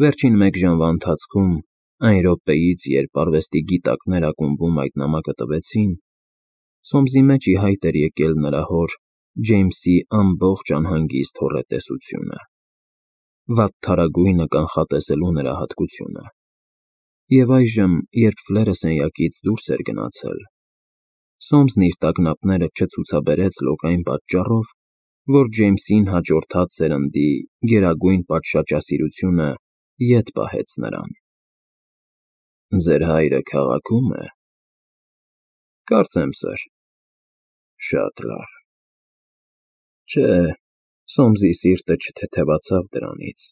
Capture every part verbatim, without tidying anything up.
Վերջին մեկ ժամվա ընթացքում, այն րոպեից, երբ արվեստի գիտակներ ակումբում այդ նամակը տվեցին, Սոմսի մեջ ի հայտ էր եկել նրա հոր՝ Ջեյմսի ամբողջ անհանգիստ հոռետեսությունը, վատթարագույնը կանխատեսելու նրա հատկությունը, և այժմ, երբ Ֆլերը սենյակից դուրս էր գնացել, Սոմսն իր տագնապները չցուցաբերեց լոկային պատճառով, որ Ջեյմսին հաջորդած սերնդի գերագույն պատշաճասիրությունը ետ պահեց նրան։ ֊ Ձեր հայրը քաղաքի՞ում է։ ֊ Կարծեմ, սըր։ ֊ Շատ լավ։ Չէ, Սոմսի սիրտը չթեթևացավ դրանից,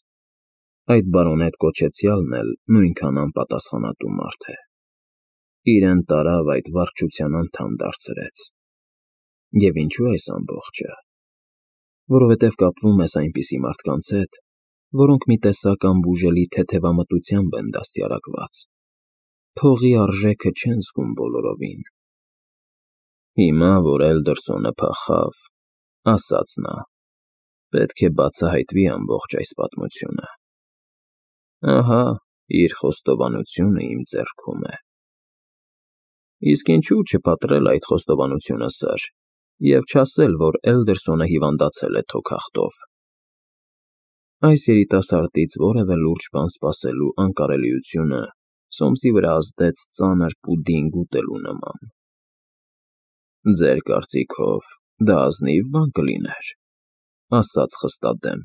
այդ բարոնետ կոչեցյալն էլ նույնքան անպատասխանատու մարդ է, իրեն տարավ այդ վարչության անդամ դարձրեց։ Եվ ինչո՞ւ այս ամբողջը։ Որովհետև կապվում ես այնպիսի մարդկանց հետ, որոնք մի տեսակ անբուժելի թեթևամտությամբ են դաստիարակված, փողի արժեքը չեն զգում բոլորովին։ Հիմա, որ Էլդերսոնը փախավ, ասաց նա, պետք է բացահայտվի ամբողջ այս պատմությունը։ Ահա, իր խոստովանությունը իմ ձեռքում է։ Իսկ ինչու՞ չպատրել այդ խոստովանությունը, սըր, և չասել, որ Էլդերսոնը հիվանդացել է թոքախտով։ Այս երիտասարդից որևէ լուրջ բան սպասելու անկարելիությունը Սոմսի վրա ազդեց ծանր պուդինգ ուտելու նման։ Ձեր կարծիքով դա ազնիվ բան կլիներ, ասաց խստադեմ։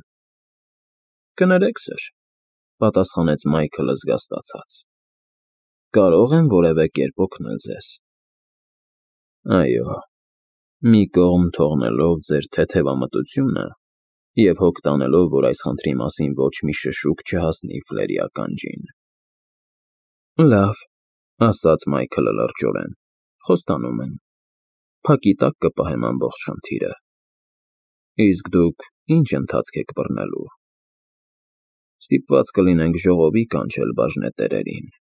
Կներեք, սըր, պատասխանեց Մայքլը զգաստացած։ Կարող եմ որևէ կերպ օգնել ձեզ։ Այո, մի կողմ թողնելով ձեր թեթևամտությունը և հոգ տանելով, որ այս խնդրի մասին ոչ մի շշուկ չհասնի Ֆլերի ականջին։ Լավ, ասաց Մայքլը լրջորեն, խոստանում եմ, փակի տակ կպահեմ ամբողջ խնդիրը։ Իսկ դուք ի՞նչ ընթացք եք բռնելու։ Ստիպված կլինենք ժողովի կանչել բաժնետերերին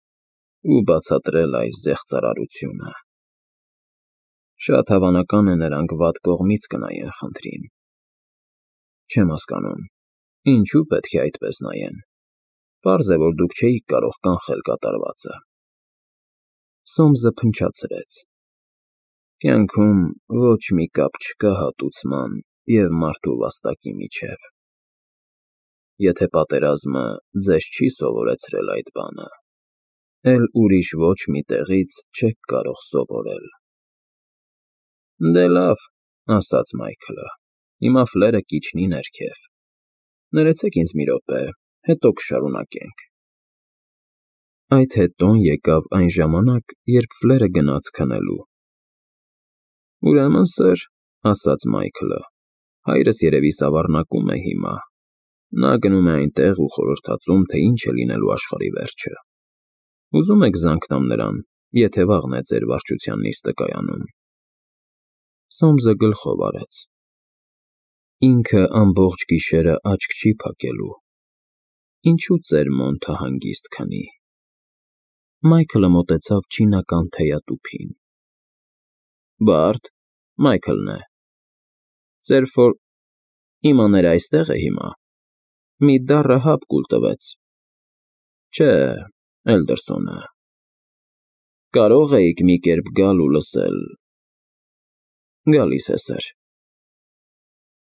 ու բացատրել այս զեղծարարությունը։ Շատ հավանական է, նրանք վատ կողմից կնայեն խնդրին։ Չեմ հասկանում, ինչու պետք է այդպես նայեն։ Պարզ է, որ դուք չէիք կարող կանխել կատարվածը։ Սոմսը փնչացրեց։ Կյանքում ոչ մի կապ չկա հատուցման և մարդու վաստակի միջև։ Եթե պատերազմը ձեզ չի սովորեցրել այդ բանը, էլ ուրիշ ոչ մի տեղից չեք կարող սովորել։ Դե լավ, ասաց Մայքլը, հիմա Ֆլերը կիջնի ներքև։ Ներեցեք ինձ մի րոպե, հետո կշարունակենք։ Այդ հետոն եկավ այն ժամանակ, երբ Ֆլերը գնաց քնելու։ Ուրեմն, սըր, ասաց Մայքլը, հայրս երևի սավառնակում է հիմա։ Նա գնում է այնտեղ ու խորհրդածում, թե ինչ է լինելու աշխարհի վերջը։ Ուզում եք զանգ տամ նրան, եթե վաղն է ձեր վարչության նիստը կայանում։ Սոմսը գլխով արեց։ Ինքը ամբողջ գիշերը աչք չի փակելու։ Ինչու ծեր Մոնթը հանգիստ քնի։ Մայքլը մոտեցավ չինական թեյատուփին։ Բարդ, Մայքլն է։ Ձեր ֆոր… Իմաները այստեղ է հիմա։ Մի դառը հապ կուլ տվեց։ Չէ, Էլդերսոնը։ Կարո՞ղ էիք մի կերպ գալ ու լսել… Գալիս է, սըր։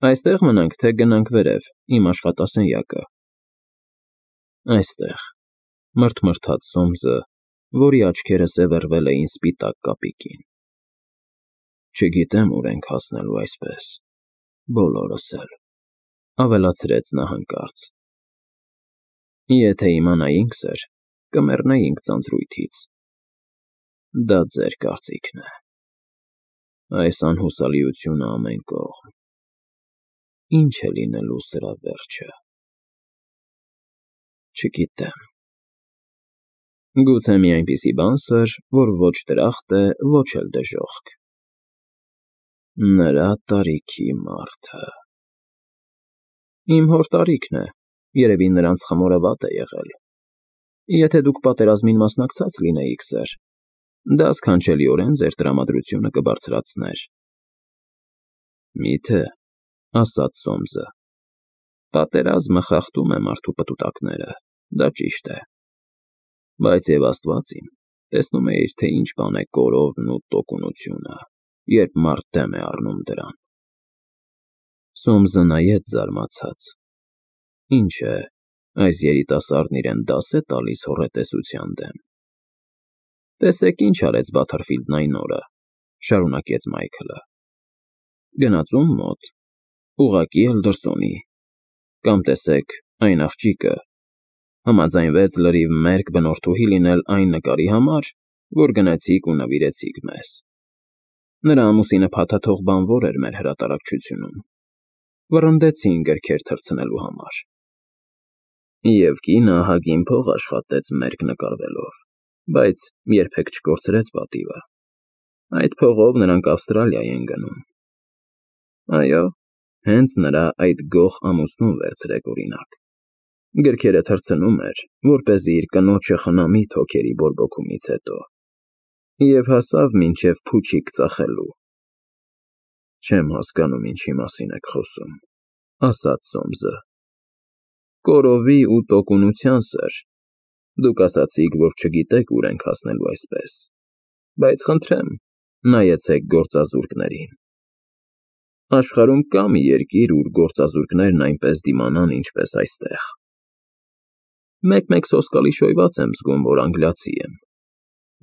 Այստեղ մնանք, թե գնանք վերև, իմ աշխատասենյակը։ Այստեղ, մռթմռթաց Սոմսը, որի աչքերը սևեռվել էին սպիտակ կապիկին։ Չգիտեմ ուր ենք հասնելու այսպես, բոլորս էլ, ավելացրեց նա հանկարծ։ Եթե իմանայինք, սըր, կմեռնեինք ձանձրույթից։ Դա ձեր կարծիքն է։ Այս անհուսալիությունը ամեն կողմ։ Ինչ է լինելու սրա վերջը։ Չգիտեմ։ Գուցե մի այնպիսի բան, սըր, որ ոչ դրախտ է, ոչ էլ դժոխք։ Նրա տարիքի մարդը… Իմ հոր տարիքն է, երևի նրանց խմորը վատ է եղել։ Եթե դուք պատերազմին մասնակցած լինեիք, սըր, դա սքանչելիորեն ձեր տրամադրությունը կբարձրացներ։ Մի՞թե, ասաց Սոմսը, պատերազմը խախտում է մարդու պտուտակները։ Դա ճիշտ է։ Բայց եւ Աստված իմ, տեսնում էիր, թե ինչ բան է կորովն ու տոկունությունը, երբ մարդ դեմ է առնում դրան։ Սոմսը նայեց զարմացած։ Ինչ է, այս երիտասարդն իրեն դաս է տալիս հոռետեսության դեմ։ Տեսեք ինչ արեց Բաթերֆիլդն այն օրը, շարունակեց Մայքլը։ Գնաց ում մոտ, ուղղակի Էլդերսոնի, կամ տեսեք, այն աղջիկը համաձայնվեց լրիվ մերկ բնորդուհի լինել այն նկարի համար, որ գնացիք ու նվիրեցիք մեզ։ Նրա ամուսինը փաթաթող բանվոր էր մեր հրատարակչությունում, վռնդեցին գրքեր թռցնելու համար։ Եվ կինը ահագին փող աշխատեց մերկ նկարվելով, բայց երբեք չկորցրեց պատիվը։ Այդ փողով նրանք Ավստրալիա են գնում։ Այո, հենց նրա այդ գող ամուսնուն վերցրեք օրինակ։ Գրքերը թռցնում էր, որպեսզի իր կնոջը խնամի թոքերի բորբոքումից հետո, և հասավ մինչև փուչիկ ծախելու։ Չեմ հասկանում, ինչի մասին եք խոսում, ասաց Սոմսը։ Կորովի ու տոկունության, սըր, դուք ասացիք, որ չգիտեք ուր ենք հասնելու այսպես, բայց խնդրեմ, նայեցեք գործազուրկներին։ Աշխարհում կա՞ մի երկիր, ուր գործազուրկներն այնպես դիմանան, ինչպես այստեղ։ Մեկ-մեկ սոսկալի շոյված եմ զգում, որ անգլիացի եմ։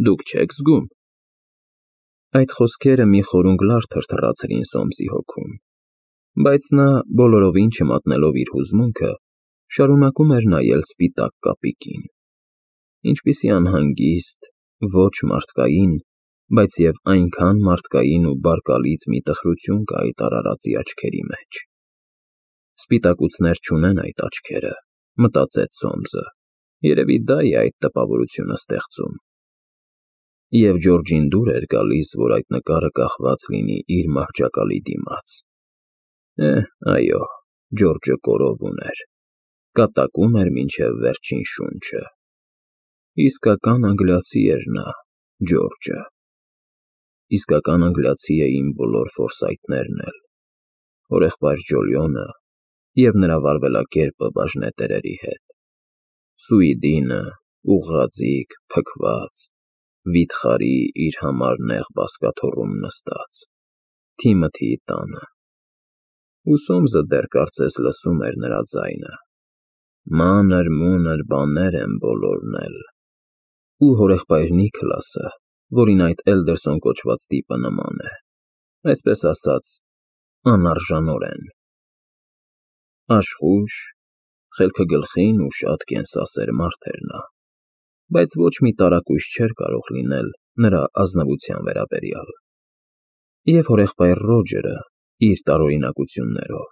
Դուք չեք զգում։ Այդ խոսքերը մի խորունգ լար թրթռացրին Սոմսի հոգում, բայց նա, բոլորովին չմատնելով իր հուզմունքը, շարունակում էր նայել սպիտակ կապիկին։ Ինչպիսի անհանգիստ, ոչ մարդկային, բայց և այնքան մարդկային ու բարկալից մի տխրություն կա այդ արարածի աչքերի մեջ։ Սպիտակուցներ չունեն այդ աչքերը, մտածեց Սոմսը, երևի դա է այդ տպավորությունը ստեղծում։ Եվ Ջորջին դուր էր գալիս, որ այդ նկարը կախված լինի իր մահճակալի դիմաց։ Է, այո, Ջորջը կորով ուներ, կատակում էր մինչև վերջին շունչը։ Իսկական անգլիացի էր նա, Ջորջը։ Իսկական անգլիացի էին բոլոր Ֆորսայթներն էլ, հորեղբայր Ջոլիոնը և նրա վարվելակերպը բաժնետերերի հետ։ Սուիդինը, ուղղաձիգ, փքված, վիթխարի իր համար նեղ բազկաթոռում նստած, Թիմոթիի տանը։ Ու Սոմսը դեռ կարծես լսում էր նրա ձայնը. մանր-մունր բաներ են բոլորն էլ։ Ու հորեղբայր Նիքլասը, որին այդ Էլդերսոն կոչված տիպը նման է, այսպես ասած, անարժանորեն։ Աշխույժ, խելքը գլխին ու շատ կենսասեր մարդ էր նա, բայց ոչ մի տարակույս չէր կարող լինել նրա ազնվության վերաբերյալ։ Եվ հորեղբայր Ռոջերը իր տարօրինակություններով,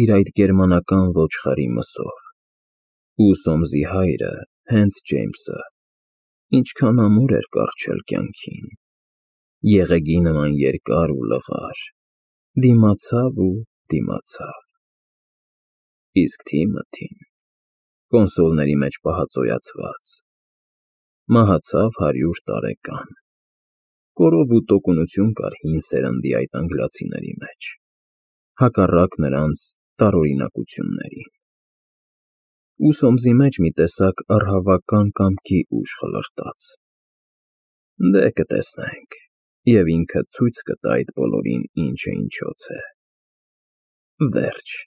իր այդ գերմանական ոչխարի մսով, ու Սոմսի հայրը, հենց Ջեյմսը, ինչքան ամուր էր կառչել կյանքին, եղեգի նման երկար ու լղար, դիմացավ ու դիմացավ։ Իսկ Թիմոթին, կոնսոլների մեջ պահածոյացված, մահացավ հարյուր տարեկան։ Կորով ու տոկունություն կար հին սերնդի այդ անգլիացիների մեջ, հակառակ նրանց տարօրինակությունների։ Ու Սոմսի մեջ մի տեսակ առհավական կամքի ուժ խլրտաց։ Դե կտեսնենք, և ինքը ցույց կտա այդ բոլորին ինչը ինչոց է։ Վերջ։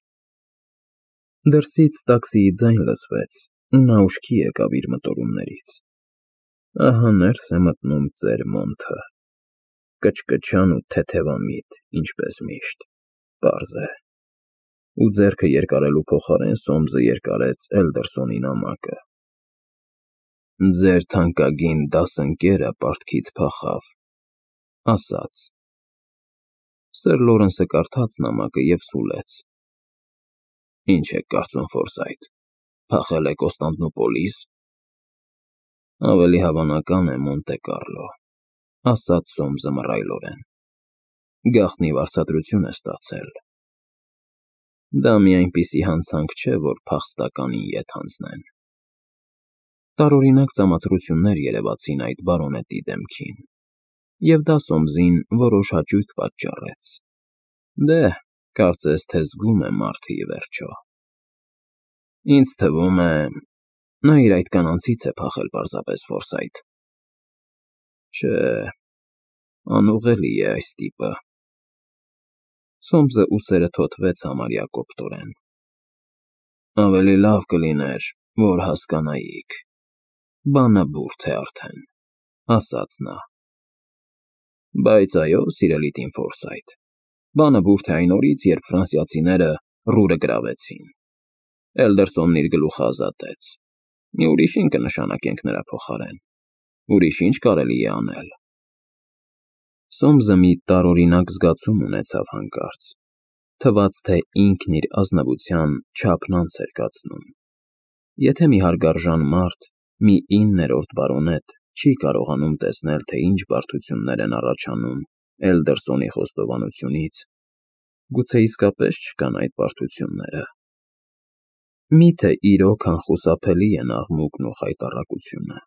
Դրսից տաքսիի ձայն լսվեց, ու նա ուշքի եկավ իր մտորումներից։ Ահա ներս է մտնում ծեր Մոնթը, կչկչան ու թեթևամիտ, ինչպես միշտ, պարզ է։ Ու ձեռքը երկարելու փոխարեն Սոմսը երկարեց Էլդերսոնի նամակը։ Ձեր թանկագին դասընկերը պարտքից փախավ, ասաց։ Սըր Լորենսը կարդաց նամակը և սուլեց։ Ինչ եք կարծում, Ֆորսայթ, փախել է Կոստանդնուպոլիս։ Ավելի հավանական է Մոնտե Կառլո, ասաց Սոմսը մռայլորեն։ Գաղտնի վարձատրություն է ստացել։ Դա մի այնպիսի հանցանք չէ, որ փախստականին ետ հանձնեն։ Տարօրինակ ծամացրություններ երևացին այդ բարոնետի դեմքին, և դա Սոմսին որոշ հաճույք պատճառեց։ Դե, կարծես թե զգում է մարդը ի վերջո։ Ինձ թվում է, Նա իր այդ կանանցից է փախել պարզապես Ֆորսայթ։ Չէ, անուղղելի է այս տիպը։ Սոմսը ուսերը թոթվեց համարյա կոպտորեն։ Ավելի լավ կլիներ, որ հասկանայիք։ Բանը բուրդ է արդեն, ասաց նա։ Բայց այո, սիրելի տին Ֆորսայթ, բանը բուրդ է այն օրից, երբ ֆրանսիացիները Ռուրը գրավեցին։ Էլդերսոնն իր գլուխը ազատեց։ Մի ուրիշ ինչ կնշանակենք նրա փոխարեն։ Ուրիշ ինչ կարելի է անել։ Սոմսը մի տարօրինակ զգացում ունեցավ հանկարծ։ Թվաց, թե ինքն իր ազնվության չափն անց էր կացնում։ Եթե մի հարգարժան մարդ, մի իններորդ բարոնետ չի կարողանում տեսնել, թե ինչ բարդություններ են առաջանում Էլդերսոնի խոստովանությունից, գուցե իսկապես չկան այդ բարդությունները։ Միթե իրոք անխուսափելի են աղմուկն ու խայտառակությունը։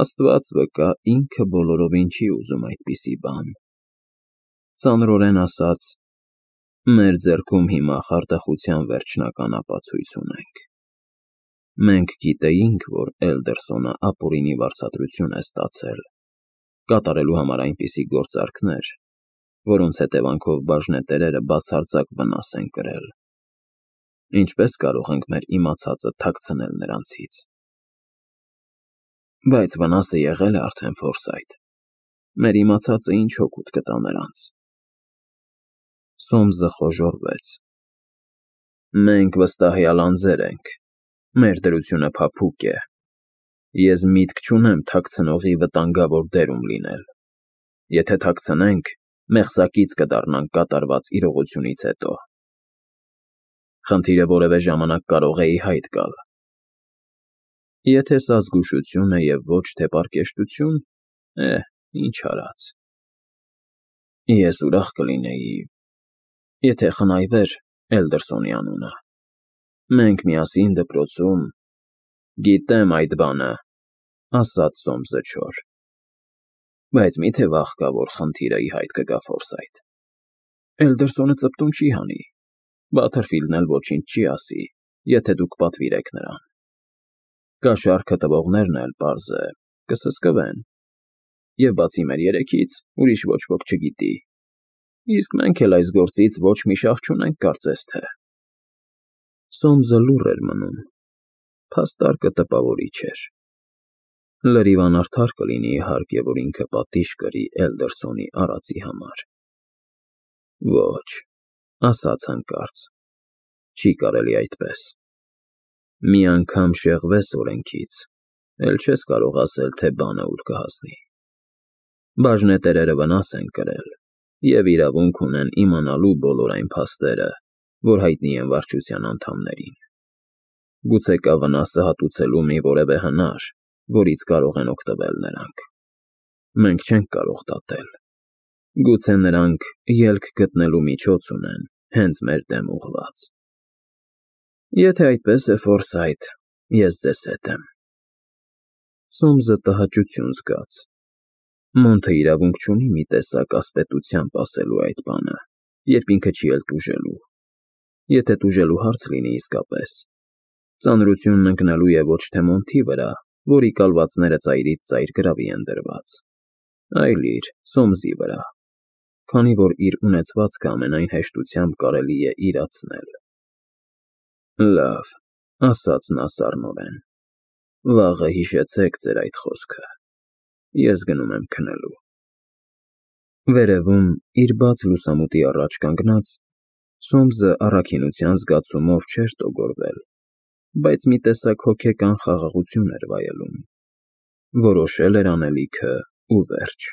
Աստված վկա, ինքը բոլորովին չի ուզում այդպիսի բան։ Ծանրորեն ասած, մեր ձեռքում հիմա խարդախության վերջնական ապացույց ունենք։ Մենք գիտեինք, որ Էլդերսոնը ապօրինի վարձատրություն է ստացել, կատարելու համար այնպիսի գործարքներ, որոնց հետևանքով բաժնետերերը բացարձակ վնաս են կրել։ Ինչպես կարող ենք մեր իմացածը թաքցնել նրանցից։ Բայց վնասը եղել է արդեն Ֆորսայթ։ Մեր իմացածը ինչ օգուտ կտա նրանց։ Սոմսը խոժոռվեց։ Մենք վստահյալ անձեր ենք։ Մեր դրությունը փափուկ է։ Ես միտք չունեմ թաքցնողի վտանգավոր դերում լինել։ Եթե թաքցնենք, մեղսակից կդառնանք կատարված իրողությունից հետո։ Խնդիրը որևէ ժամանակ կարող է ի հայտ գալ։ Եթե սա զգուշություն է և ոչ թե պարկեշտություն, էհ, ինչ արած։ Ես ուրախ կլինեի, եթե խնայվեր Էլդերսոնի անունը։ Մենք միասին դպրոցում… Գիտեմ այդ բանը, ասաց Սոմսը չոր։ Բայց միթե վաղ կա, որ խնդիրը ի հայտ կգա Ֆորսայթ։ Էլդերսոնը ծպտուն չի հանի։ Բաթերֆիլդն էլ ոչինչ չի ասի, եթե դուք պատվիրեք նրան։ Կաշառքը տվողներն էլ, պարզ է, կսսկվեն։ Եվ բացի մեր երեքից, ուրիշ ոչ ոք չգիտի։ Իսկ մենք էլ այս գործից ոչ մի շահ չունենք կարծես թե։ Սոմսը լուռ էր մնում։ Փաստարկը տպավորիչ էր։ Լրիվ անարդար կլինի, իհարկե, որ ինքը պատիժ կրի Էլդերսոնի արածի համար։ Ոչ, ասաց հանկարծ, չի կարելի այդպես։ Մի անգամ շեղվես օրենքից, էլ չես կարող ասել, թե բանը ուր կհասնի։ Բաժնետերերը վնաս են կրել և իրավունք ունեն իմանալու բոլոր այն փաստերը, որ հայտնի են վարչության անդամներին։ Գուցե կա վնասը հատուցելու մի որևէ հնար, որից կարող են օգտվել նրանք։ Մենք չենք կարող դատել։ Գուցե նրանք ելք գտնելու միջոց ունեն, հենց մեր դեմ ուղղված։ Եթե այդպես է, Ֆորսայթ, ես ձեզ հետ եմ։ Սոմսը տհաճություն զգաց։ Մոնթը իրավունք չունի մի տեսակ ասպետությամբ ասելու այդ բանը, երբ ինքը չի էլ տուժելու։ Եթե տուժելու հարց լինի իսկապես, ծանրությունն ընկնելու է ոչ թե Մոնթի վրա, որի կալվածները ծայրից ծայր գրավի են դրված, այլ իր՝ Սոմսի վրա, քանի որ իր ունեցվածքը ամենայն հեշտությամբ կարելի է իրացնել։ Լավ, ասաց նա սառնորեն, վաղը հիշեցեք ձեր այդ խոսքը, ես գնում եմ քնելու։ Վերևում, իր բաց լուսամուտի առաջ կանգնած, Սոմսը առաքինության զգացումով չէր տոգորվել, բայց մի տեսակ հոգեկան խաղաղություն էր վայելում։ Որոշել էր անելիքը ու վերջ։